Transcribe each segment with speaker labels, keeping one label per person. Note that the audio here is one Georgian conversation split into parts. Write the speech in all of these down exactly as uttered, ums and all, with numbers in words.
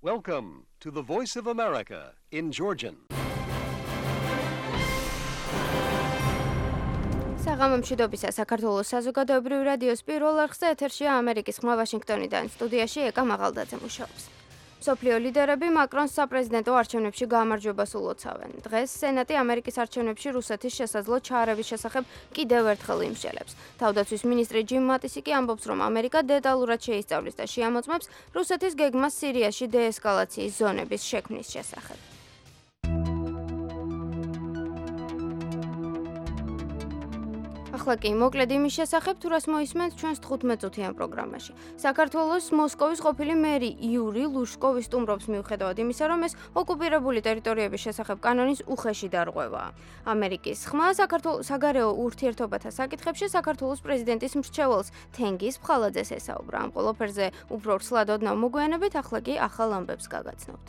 Speaker 1: Welcome to the Voice of America in Georgian.
Speaker 2: საღამომშვიდობისა საქართველოს საზოგადოებრივი რადიოს პირველ არხზე ეთერშია ამერიკის ხმა ვაშინგტონიდან. სტუდიაში ეკა მაღალდაძე მუშაობს. მსოფლიო ლიდერები მაკრონს საპრეზიდენტო არჩევნებში გაამარჯვებას ულოცავენ. დღეს სენატი ამერიკის არჩევნებში რუსეთის შესაძლო ჩაარევის შესახებ კიდევ ერთხელ იმსჯელებს. თავდაცვის მინისტრი ჯიმ მატისი კი ამბობს, რომ ამერიკა დეტალურად შეისწავლის და შეამოწმებს რუსეთის გეგმას სირიაში დეესკალაციის ზონების შექმნის შესახებ. ახლა კი მოკლედ იმის შესახებ, თუ რას მოისმენთ ჩვენს თხუთმეტწუთიან პროგრამაში. საქართველოს მოსკოვის ყოფილი მერი იური ლუშკოვი სტუმრობს მიუხედავად იმისა, რომ ეს ოკუპირებული ტერიტორიების შესახებ კანონის უხეში დარღვევაა. ამერიკის ხმა საქართველოს საგარეო ურთიერთობათა საკითხებში საქართველოს პრეზიდენტის მრჩეველს თენგიზ ფხალაძეს ესაუბრა. ამ ყველაფერზე უფრო ცლად ოდნავ მოგვიანებით, ახლა კი ახალ ამბებს გაგაცნობთ.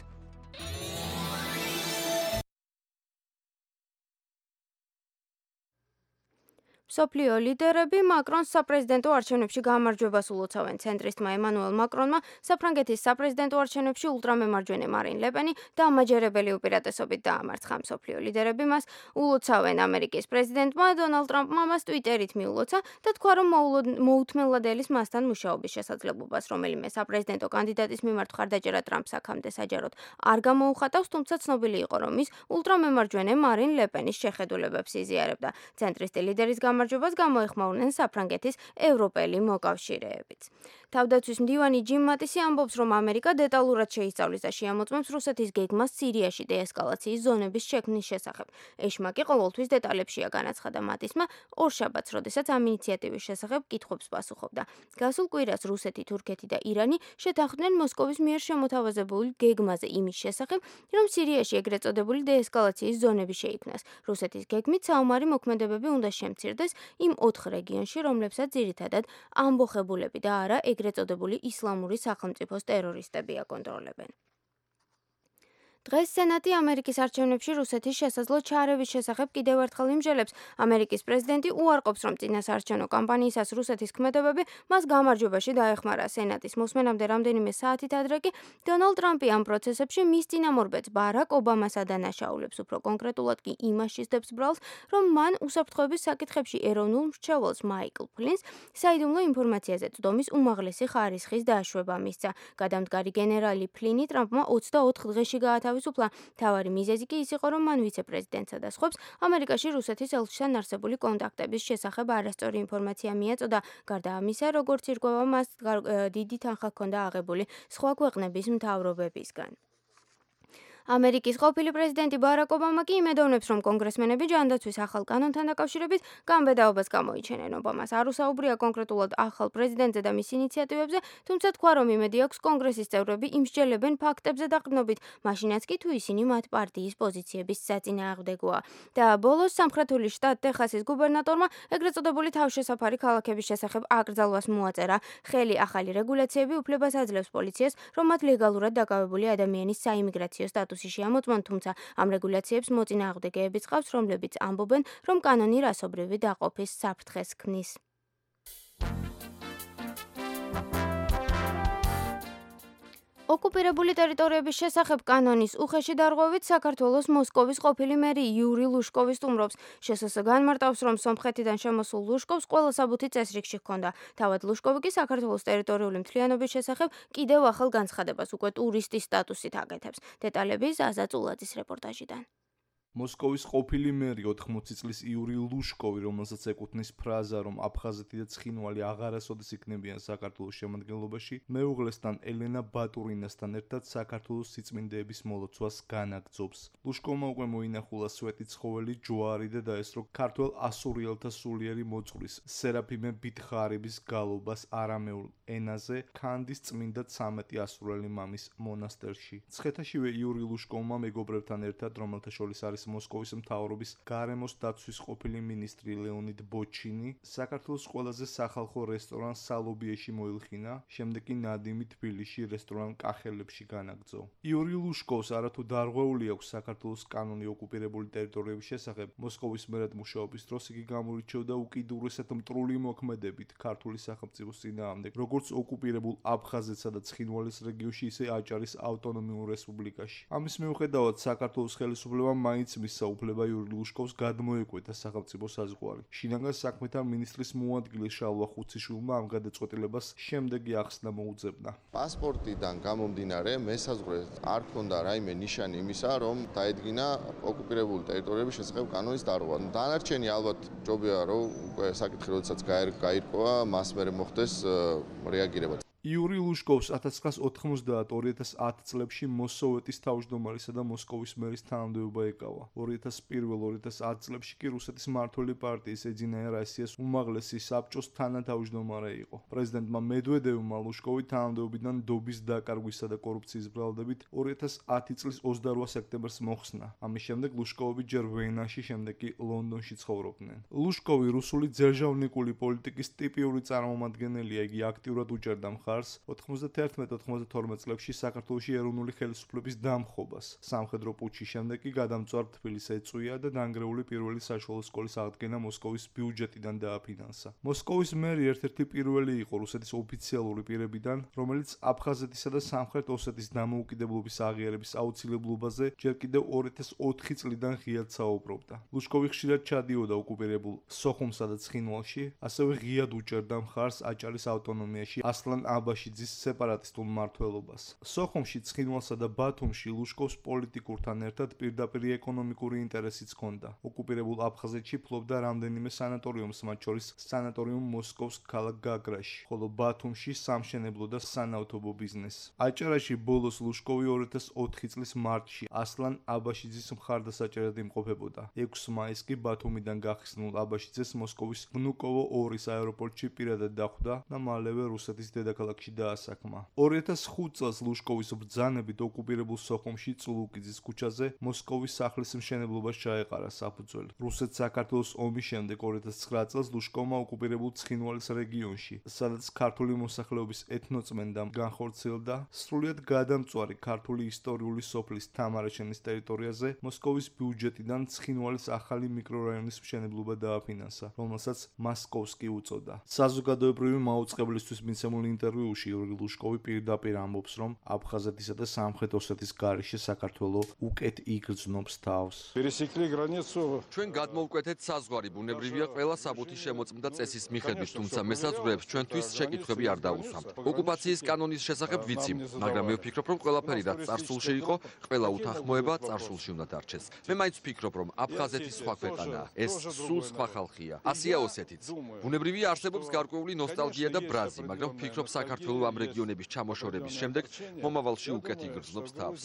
Speaker 2: მსოფლიო ლიდერები მაკრონს საპრეზიდენტო არჩევნებში გაამარჯვებას ულოცავენ. ცენტრისტმა ემანუელ მაკრონმა საფრანგეთის საპრეზიდენტო არჩევნებში ულტრამემარჯვენე მარინ ლეპენი დამაჯერებელი უპირატესობით დაამარცხა. მსოფლიო ლიდერები მას ულოცავენ. ამერიკის პრეზიდენტმა დონალდ ტრამპმა მას ტვიტერით მიულოცა და თქვა, რომ მოუთმენლად ელის მასთან მუშაობის შესაძლებლობას, რომელიმე საპრეზიდენტო კანდიდატის მიმართ მხარდაჭერა ტრამპს აქამდე საჯაროდ არ გამოუხატავს, თუმცა ცნობილი იყო, რომ ის ულტრამემარჯვენე მარინ ლეპენის შეხედულებებს იზიარებდა. ცენტრისტი ლიდერის გამარჯვებას გამოეხმაურნენ საფრანგეთის ევროპელი მოკავშირეებიც. თავდაცვის მდივანი ჯიმ მატისი ამბობს, რომ ამერიკა დეტალურად შეისწავლის და შეამოწმებს რუსეთის გეგმას სირიაში დეესკალაციის ზონების შექმნის შესახებ. ეშმაკი ყოველთვის დეტალებშია, განაცხადა მატისმა ორშაბათს, როდესაც ამ ინიციატივის შესახებ კითხვებს პასუხობდა. გასულ კვირას რუსეთი, თურქეთი და ირანი შეთანხმდნენ მოსკოვის მიერ შემოთავაზებულ გეგმაზე იმის შესახებ, რომ სირიაში ეგრეთ წოდებული დეესკალაციის ზონები შეიქმნას. რუსეთის გეგმით საომარი მოქმედებები უნდა შემცირდეს იმ ოთხ რეგიონში, რომლებსაც ძირითადად ამბოხებულები და არა ეგრეთ წოდებული ისლამური სახელმწიფოს ტერორისტები აკონტროლებენ. დღეს სენატი ამერიკის არჩევნებში რუსეთის შესაძლო ჩაარევის შესახებ კიდევ ერთხელ იმსჯელებს. ამერიკის პრეზიდენტი უარყოფს, რომ წინასაარჩევნო კამპანიისას რუსეთის ქმედებები მას გამარჯვებაში დაეხმარა. სენატის მოსმენამდე რამდენიმე საათით ადრე კი დონალდ ტრამპი ამ პროცესებში მის წინამორბედს ბარაკ ობამას ადანაშაულებს. უფრო კონკრეტულად კი იმაში სდებს ბრალს, რომ მან უსაფრთხოების საკითხებში ეროვნულ მრჩეველს მაიკლ ფლინს საიდუმლო ინფორმაციაზე წვდომის უმაღლესი ხარისხის დაშვება მისცა. გადამდგარი გენერალი ფლინი ტრამპმა ოცდაოთხ დღეში გაათავისუფლა. თავარი მიზეზი კი ის იყო, რომ მან ვიცე-პრეზიდენტსა და სხვებს ამერიკაში რუსეთის ელჩთან არსებული კონტაქტების შესახებ არასწორი ინფორმაცია მიაწოდა. გარდა ამისა, როგორც ირკვევა, მას დიდი თანხა ჰქონდა აღებული სხვა ქვეყნების მთავრობებისგან. ამერიკის ყოფილი პრეზიდენტი ბარაკ ობამა კი იმედოვნებს, რომ კონგრესმენები ჯანდაცვის ახალ კანონთან დაკავშირებით გამბედაობას გამოიჩენენ. ობამას არ უსაუბრია კონკრეტულად ახალ პრეზიდენტზე და მის ინიციატივებზე, თუმცა თქვა, რომ იმედი აქვს კონგრესის წევრები იმსჯელებენ ფაქტებზე დაყრდნობით, მაშინაც კი თუ ისინი მათ პარტიის პოზიციების საწინააღმდეგოა. და ბოლოს სამხრეთული შტატ ტეხასის გუბერნატორმა ეგრეთ წოდებული თავშესაფარი ქალაქების შესახებ აკრძალვას მოაწერა. ხელი ახალი რეგულაციები უფლებას აძლევს პოლიციას, რომ მათ ლეგალურად დაკავებული ადამიანის საიმიგრაციო სტატუსი შეამოწმონ, თუმცა ამ რეგულაციებს მოწინააღმდეგეებიც ყავს, რომლებიც ამბობენ, რომ კანონი რასობრივი დაყოფის საფრთხეს ქმნის. ოკუპირებული ტერიტორიების შესახებ კანონის უხეში დარღვევით საქართველოს მოსკოვის ყოფილი მერი იური ლუშკოვი სტუმრობს. შსს განმარტავს, რომ სომხეთიდან შემოსულ ლუშკოვს ყველა საბუთი წესრიგში ჰქონდა. თავად ლუშკოვი კი საქართველოს ტერიტორიული მთლიანობის შესახებ კიდევ ახალ განცხადებას უკვე ტურისტის სტატუსით აკეთებს. დეტალები ზაზა წულაძის რეპორტაჟიდან.
Speaker 3: მოსკოვის ყოფილი მერი ოთხმოცი წლის იური ლუშკოვი, რომელსაც ეკუთვნის ფრაზა, რომ აფხაზეთი და ცხინვალი აღარასოდეს იქნებიან საქართველოს შემადგენლობაში, მეუღლესთან ელენა ბატურინასთან ერთად საქართველოს სიწმინდეების მოლოცვას განაგრძობს. ლუშკოვმა უკვე მოინახულა სვეტი ცხოველი ჯვარი და დაესწრო ქართველ ასურიელთა სულიერი მოწყვრის სერაფიმე ბითხარების გალობას არამეულ ენაზე ქანდის წმინდა ცამეტი ასურელი მამის მონასტერში. ცხეთაშივე იური ლუშკოვმა მეგობრებთან ერთად, რომელთა შორის არის არის მოსკოვის მთავრობის გარემოს დაცვის ყოფილი მინისტრი ლეონიდ ბოჩინი, საქართველოს ყველაზე სახალხო რესტორან სალობიეში მოილხინა, შემდეგ კი ნადიმი თბილისში რესტორან კახელებში განაგრძო. იური ლუშკოვს არათუ დარღვეული აქვს საქართველოს კანონი ოკუპირებული ტერიტორიების შესახებ, მოსკოვის მერად მუშაობის დროს იგი გამორიჩევდა უკიდურესად მტრული მოქმედებით ქართული სახელმწიფოს წინააღმდეგ, როგორც ოკუპირებულ აფხაზეთსა და ცხინვალის რეგიონში, ისე აჭარის ავტონომიურ რესპუბლიკაში. ამის მიუხედავად, საქართველოს ხელისუფლებამ მაინც მისცა უფლება იური ლუშკოვს გადმოეკვეთა სახელმწიფო საზღვარი. შინაგან საქმეთა მინისტრის მოადგილე შალვა ხუციშვილმა ამ გადაწყვეტილებას შემდეგი ახსნა მოუძებნა.
Speaker 4: პასპორტიდან გამომდინარე, მესაზღვრეს არ ქონდა რაიმე ნიშანი იმისა, რომ დაედგინა ოკუპირებული ტერიტორიების შესახებ კანონის დარღვევა. დანარჩენი ალბათ ჯობია, რომ უკვე საკითხი როდესაც გაირკვევა, მას მერე მოხდეს რეაგირება.
Speaker 3: იური ლუშკოვს ათას ცხრაას ოთხმოცდაათ ორი ათას ათი წლებში მოსოვეტის თავმჯდომარისა და მოსკოვის მერის თანამდებობა ეკავა. ორი ათას პირველ ორი ათას ათი წლებში კი რუსეთის მმართველი პარტიის ეძინა როსიას უმაღლესი საბჭოს თანათავმჯდომარე იყო. პრეზიდენტმა მედვედევმა ლუშკოვი თანამდებობიდან დობის დაკარგვისა და კორუფციის ბრალდებით ორი ათას ათი წლის ოცდარვა სექტემბერს მოხსნა. ამის შემდეგ ლუშკოვი ჯერ ვენაში, შემდეგ კი ლონდონში ცხოვრობდნენ. ლუშკოვი რუსული ძერჟავნიკული პოლიტიკის ტიპიური წარმომადგენელია, იგი აქტიურად უჭერდა ოთხმოცდაათი ოცდათორმეტ წლებში საქართველოში ეროვნული ხელისუფლების დამხობას. სამხედრო პუტჩის შემდეგ კი გადამწვარ თბილისს ეწვია და დანგრეული პირველი საშუალო სკოლის აღდგენა მოსკოვის ბიუჯეტიდან დააფინანსა. მოსკოვის მერი ერთ-ერთი პირველი იყო რუსეთის ოფიციალური პირებიდან, რომელიც აფხაზეთისა და სამხრეთ ოსეთის დამოუკიდებლობის აღიარების აუცილებლობაზე ჯერ კიდევ ორი ათას ოთხი წლიდან ღიად საუბრობდა. ლუშკოვი ხშირად ჩადიოდა ოკუპირებულ სოხუმსა და ცხინვალში, ასევე ღიად უჭერდა მხარს აჭარის ავტონომიაში ასლან აბაშიძის სეპარატისტულ მმართველობას. სოხუმში, ცხინვალსა და ბათუმში ლუშკოვს პოლიტიკურთან ერთად პირდაპირ ეკონომიკური ინტერესიც ჰქონდა. ოკუპირებულ აფხაზეთში ფლობდა რამდენიმე სანატორიუმს, მათ შორის სანატორიუმ მოსკოვის ქალაქ გაგრაში, ხოლო ბათუმში სამშენებლო და სანავთობო ბიზნესს. აჭარაში ბოლოს ლუშკოვი ორი ათას ოთხი წლის მარტში ასლან აბაშიძის მხარდასაჭერად იმყოფებოდა. ექვსი მაისს კი ბათუმიდან გახსნილ აბაშიძეს მოსკოვის ვნუკოვო ორის აეროპორტში პირადად დახვდა და მალევე რუსეთის დედაქალაქში დაასაქმა. ორი ათას ხუთ წელს ლუშკოვის ბრძანებით ოკუპირებულ სოხუმში წულუკიძის ქუჩაზე მოსკოვის სახლის მშენებლობას ჩაეყარა საფუძველი. რუსეთ-საქართველოს ომის შემდეგ ორი ათას ცხრა წელს ლუშკოვმა ოკუპირებულ ცხინვალის რეგიონში, სადაც ქართული მოსახლეობის ეთნოწმენდა განხორციელდა, სრულიად გადამწვარი ქართული ისტორიული სოფლის თამარეჩენის ტერიტორიაზე მოსკოვის ბიუჯეტიდან ცხინვალის ახალი მიკრორაიონის მშენებლობა დააფინანსა, რომელსაც მასკოვსკი უწოდა. საზოგადოებრივი მაუწყებლისთვის მიცემულ ინტერვიუში იური ლუშკოვი პირდაპირ ამბობს, რომ აფხაზეთისა და სამხრეთ ოსეთის გარეშე საქართველო უკეთ იგრძნობს თავს.
Speaker 5: ჩვენ გადმოვკვეთეთ საზღვარი, ბუნებრივია ყველა საბუთი შემოწმდა წესის მიხედვით, თუმცა მესაზღვრეებს ჩვენთვის შეკითხვები არ დაუსვამთ. ოკუპაციის კანონის შესახებ ვიცი, მაგრამ მე ვფიქრობ, რომ ყველაფერი რაც წარსულში იყო, ყველა უთანხმოება წარსულში უნდა დარჩეს. მე მაინც ვფიქრობ, რომ აფხაზეთი სხვა ქვეყანაა, ეს სულ სხვა ხალხია. ასია ოსეთიც. ბუნებრივია არსებობს გარკვეული ნოსტალგია და ბრაზი, მაგრამ ვფიქრობ საქართველოს ამ რეგიონების ჩამოშორების შემდეგ მომავალში უკეთ იგრძნობს თავს.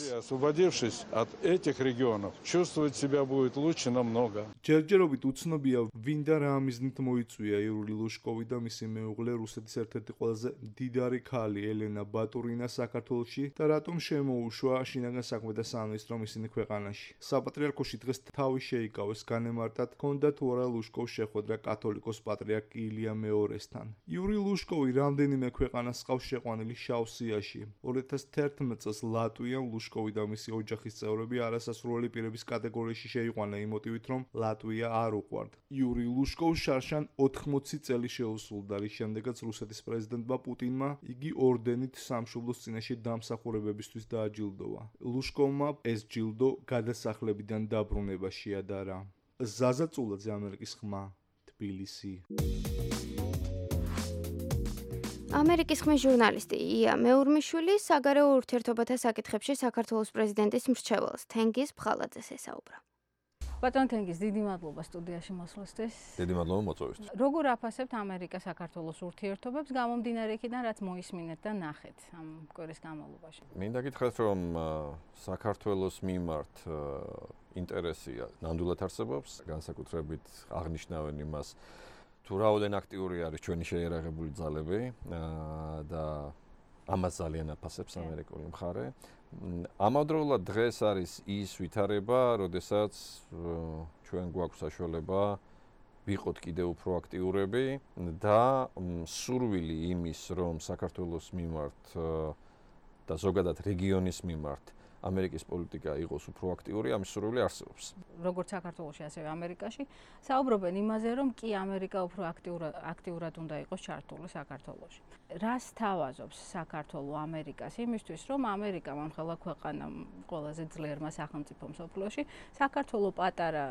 Speaker 3: ჯერჯერობით უცნობია, ვინ და რა მიზნით მოიწვია იური ლუშკოვი და მისი მეუღლე რუსეთის ერთ-ერთი ყველაზე მდიდარი ქალი ელენა ბატურინა საქართველოში და რატომ შემოუშვა შინაგან საქმეთა სამინისტრომ ისინი ქვეყანაში. საპატრიარქოში დღეს თავი შეიკავეს განემარტად, ჰქონდა თუ არა ლუშკოვს შეხვედრა კათოლიკოს პატრიარქ ილია მეორესთან. იური ლუშკოვი რამდენიმე ქვეყანას ყავს შეყვანილი შავ სიაში. ორი ათას თერთმეტ წელს ლატვიამ ლუშკოვი და მისი ოჯახის წევრები არასასურველი პირების კატეგორიაში შეიყვანა იმ მოტივით, რომ ლატვია არ უყვართ. იური ლუშკოვს შარშან ოთხმოცი წელი შეუსრულდა, რის შემდეგაც რუსეთის პრეზიდენტმა პუტინმა იგი ორდენით სამშობლოს წინაშე დამსახურებებისთვის დააჯილდოვა. ლუშკოვმა ეს ჯილდო გადასახლებიდან დაბრუნება შეადარა. ზაზა წულაძე, ამერიკის ხმა, თბილისი.
Speaker 2: ამერიკის ხმის ჟურნალისტი ია მეურმიშვილი საგარეო ურთიერთობათა საკითხებში საქართველოს პრეზიდენტის მრჩეველს თენგიზ ფხალაძეს ესაუბრა.
Speaker 6: ბატონ თენგიზ, დიდი მადლობა სტუდიაში მოსვლისთვის.
Speaker 7: დიდი მადლობა მოწვევისთვის.
Speaker 6: როგორ აფასებთ ამერიკა-საქართველოს ურთიერთობებს გამომდინარე იქიდან, რაც მოისმინეთ და ნახეთ ამ კვირის განმავლობაში?
Speaker 7: მინდა გითხრათ, რომ საქართველოს მიმართ ინტერესია ნამდვილად არსებობს, განსაკუთრებით აღნიშნავენ იმას, თუ რაოდენ აქტიური არის ჩვენი შეიარაღებული ძალები და ამას ძალიან აფასებს ამერიკული მხარე. ამავდროულად დღეს არის ის ვითარება, როდესაც ჩვენ გვაქვს საშუალება ვიყოთ კიდევ უფრო აქტიურები და სურვილი იმის, რომ საქართველოს მიმართ და ზოგადად რეგიონის მიმართ ამერიკის პოლიტიკა იყოს უფრო აქტიური, ამის სურვილი არსებობს.
Speaker 6: როგორც საქართველოში, ასევე ამერიკაში საუბრობენ იმაზე, რომ კი ამერიკა უფრო აქტიურად აქტიურად უნდა იყოს ჩართული საქართველოში. რას თავაზობს საქართველო ამერიკას იმისთვის, რომ ამერიკა მომხელა ქვეყანა ყველაზე ძლიერმა სახელმწიფო მსოფლიოში, საქართველო პატარა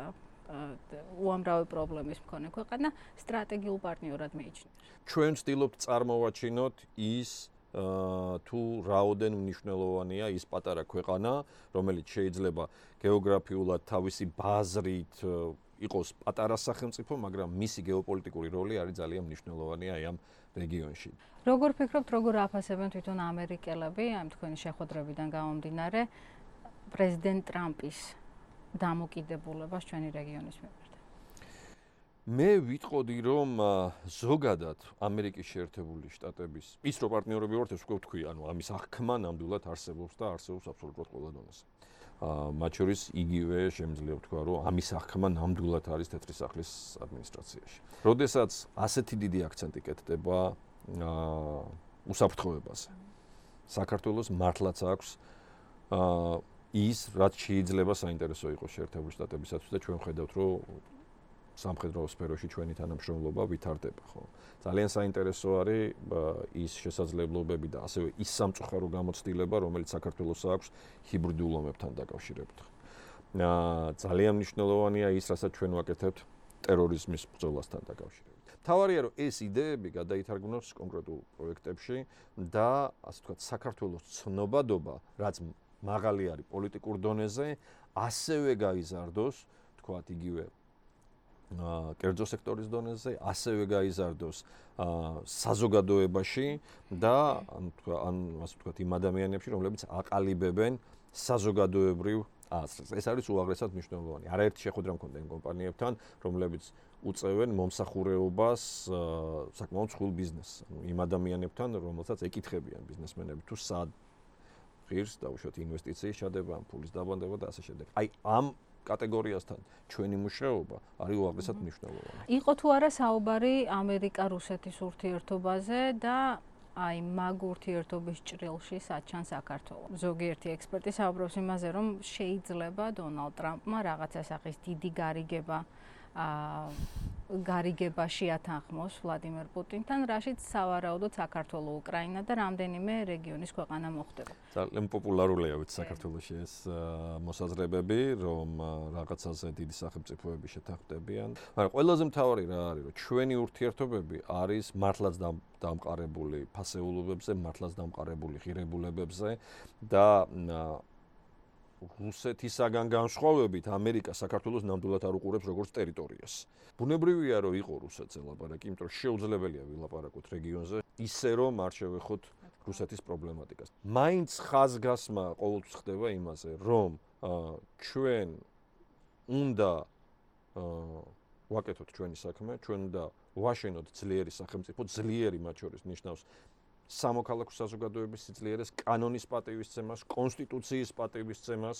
Speaker 6: უამრავი პრობლემის მქონე ქვეყანა სტრატეგიულ პარტნიორად მიიჩნევს.
Speaker 7: ჩვენ ვცდილობთ წარმოვაჩინოთ ის თუ რაოდენ მნიშვნელოვანია ის პატარა ქვეყანა, რომელიც შეიძლება გეოგრაფიულად თავისი ბაზრით იყოს პატარა სახელმწიფო, მაგრამ მისი გეოპოლიტიკური როლი არის ძალიან მნიშვნელოვანი აი ამ რეგიონში.
Speaker 6: როგორ ფიქრობთ, როგორ აფასებენ თვითონ ამერიკელები ამ თქვენი შეხვედრებიდან გამომდინარე პრეზიდენტ ტრამპის დამოკიდებულებას ჩვენი რეგიონის მიმართ?
Speaker 7: მე ვიტყოდი, რომ ზოგადად ამერიკის შეერთებული შტატების ის რო პარტნიორები ვართ, ეს უკვე ვთქვი, ანუ ამის აღქმა ნამდვილად არსებობს და არსებობს აბსოლუტურად ყველა დონეზე. მათ შორის იგივე შემიძლია ვთქვა, რომ ამის აღქმა ნამდვილად არის თეთრი სახლის ადმინისტრაციაში. როდესაც ასეთი დიდი აქცენტი კეთდება უსაფრთხოებაზე, საქართველოს მართლაც აქვს ის, რაც შეიძლება საინტერესო იყოს შეერთებული შტატებისათვის და ჩვენ ხედავთ, რომ სამხედრო სფეროში ჩვენი თანამშრომლობა ვითარდება, ხო? ძალიან საინტერესო არის ის შესაძლებლობები და ასევე ის სამწუხარო გამოცდილება, რომელიც საქართველოს აქვს ჰიბრიდულ ომებთან დაკავშირებით. ძალიან მნიშვნელოვანია ის, რასაც ჩვენ ვაკეთებთ ტერორიზმის ბრძოლასთან დაკავშირებით. თავარია, რომ ეს იდეები გადაითარგმნოს კონკრეტულ პროექტებში და ასე ვთქვათ, საქართველოს ცნობადობა, რაც მაღალი არის პოლიტიკურ დონეზე, ასევე გაიზარდოს, ვთქვათ, იგივე კერძო სექტორის დონეზე, ასევე გაიზარდოს საზოგადოებაში და ან ასე ვთქვათ, იმ ადამიანებში, რომლებიც აყალიბებენ საზოგადოებრივ აზრს. ეს არის უაღრესად მნიშვნელოვანი. არაერთი შეხვედრა მქონდა იმ კომპანიებთან, რომლებიც უწევენ მომსახურეობას საკმაოდ ცხულ ბიზნესს. იმ ადამიანებთან, რომელსაც ეკითხებიან ბიზნესმენები თუ სად ღირს დაუშვათ ინვესტიციის ჩადება, ფულის დაბანდება და ასე შემდეგ. აი ამ კატეგორიასთან ჩვენი მუშაობა არის უაღრესად მნიშვნელოვანი.
Speaker 6: იყო თუ არა საუბარი ამერიკა-რუსეთის ურთიერთობაზე და აი მაგ ურთიერთობის ჭრილში საჩან საქართველო. ზოგიერთი ექსპერტი საუბრობს იმაზე, რომ შეიძლება დონალდ ტრამპმა რაღაცა სახის დიდი გარიგება გარიგება შეათანხმოს ვლადიმერ პუტინთან, რაშიც სავარაუდოდ საქართველო, უკრაინა და რამდენიმე რეგიონის ქვეყანა მოხდება.
Speaker 7: ძალიან პოპულარულია ვიცი საქართველოში ეს მოსაზრებები, რომ რაღაცაზე დიდი სახელმწიფოები შეთანხმდებიან. მაგრამ ყველაზე მთავარი რა არის, რომ ჩვენი ურთიერთობები არის მართლაც დამყარებული ფასეულობებზე, მართლაც დამყარებული ღირებულებებზე და რუსეთისაგან განსხვავებით ამერიკა საქართველოს ნამდვილად არ უყურებს როგორც ტერიტორიას. ბუნებრივია, რომ იყო რუსეთზე ლაპარაკი, იმიტომ რომ შეუძლებელია ვილაპარაკოთ რეგიონზე, ისე რომ არ შევეხოთ რუსეთის პრობლემატიკას. მაინც ხაზგასმა ყოველთვის ხდება იმაზე, რომ ჩვენ უნდა ვაკეთოთ ჩვენი საქმე, ჩვენ უნდა ვაშენოთ ძლიერი სახელმწიფო, ძლიერი მათ შორის ნიშნავს სამოქალაქო საზოგადოების სიძლიერეს, კანონის პატივისცემას, კონსტიტუციის პატივისცემას,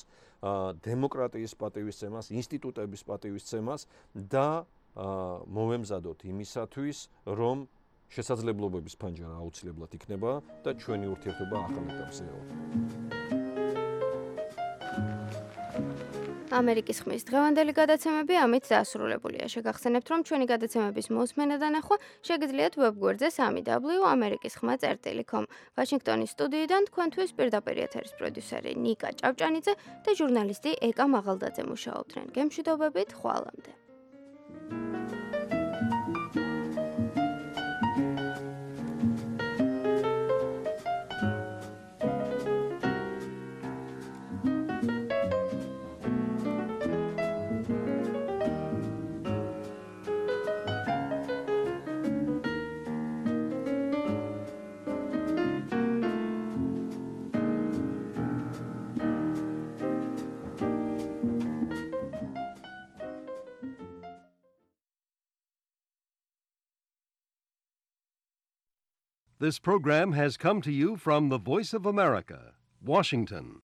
Speaker 7: დემოკრატიის პატივისცემას, ინსტიტუტების პატივისცემას და მოვემზადოთ იმისათვის, რომ შესაძლებლობების ფანჯარა აუცილებლად იქნება და ჩვენი ურთიერთობა ახალ ეტაპზე ევა.
Speaker 2: ამერიკის ხმის დღევანდელი გადაცემები ამით დასრულებულია. შეგახსენებთ, რომ ჩვენი გადაცემების მოსმენა და ნახვა შეგიძლიათ ვებგვერდზე სამი დაბლიუ ამერიკის ხმა წერტილი კომ. ვაშინგტონის სტუდიიდან თქვენთვის პირდაპირ ეთერის პროდიუსერი ნიკა ჭავჭანიძე და ჟურნალისტი ეკა მაღალდაძე მუშაობდნენ. გემშვიდობებით, ხვალამდე.
Speaker 1: This program has come to you from the Voice of America, Washington.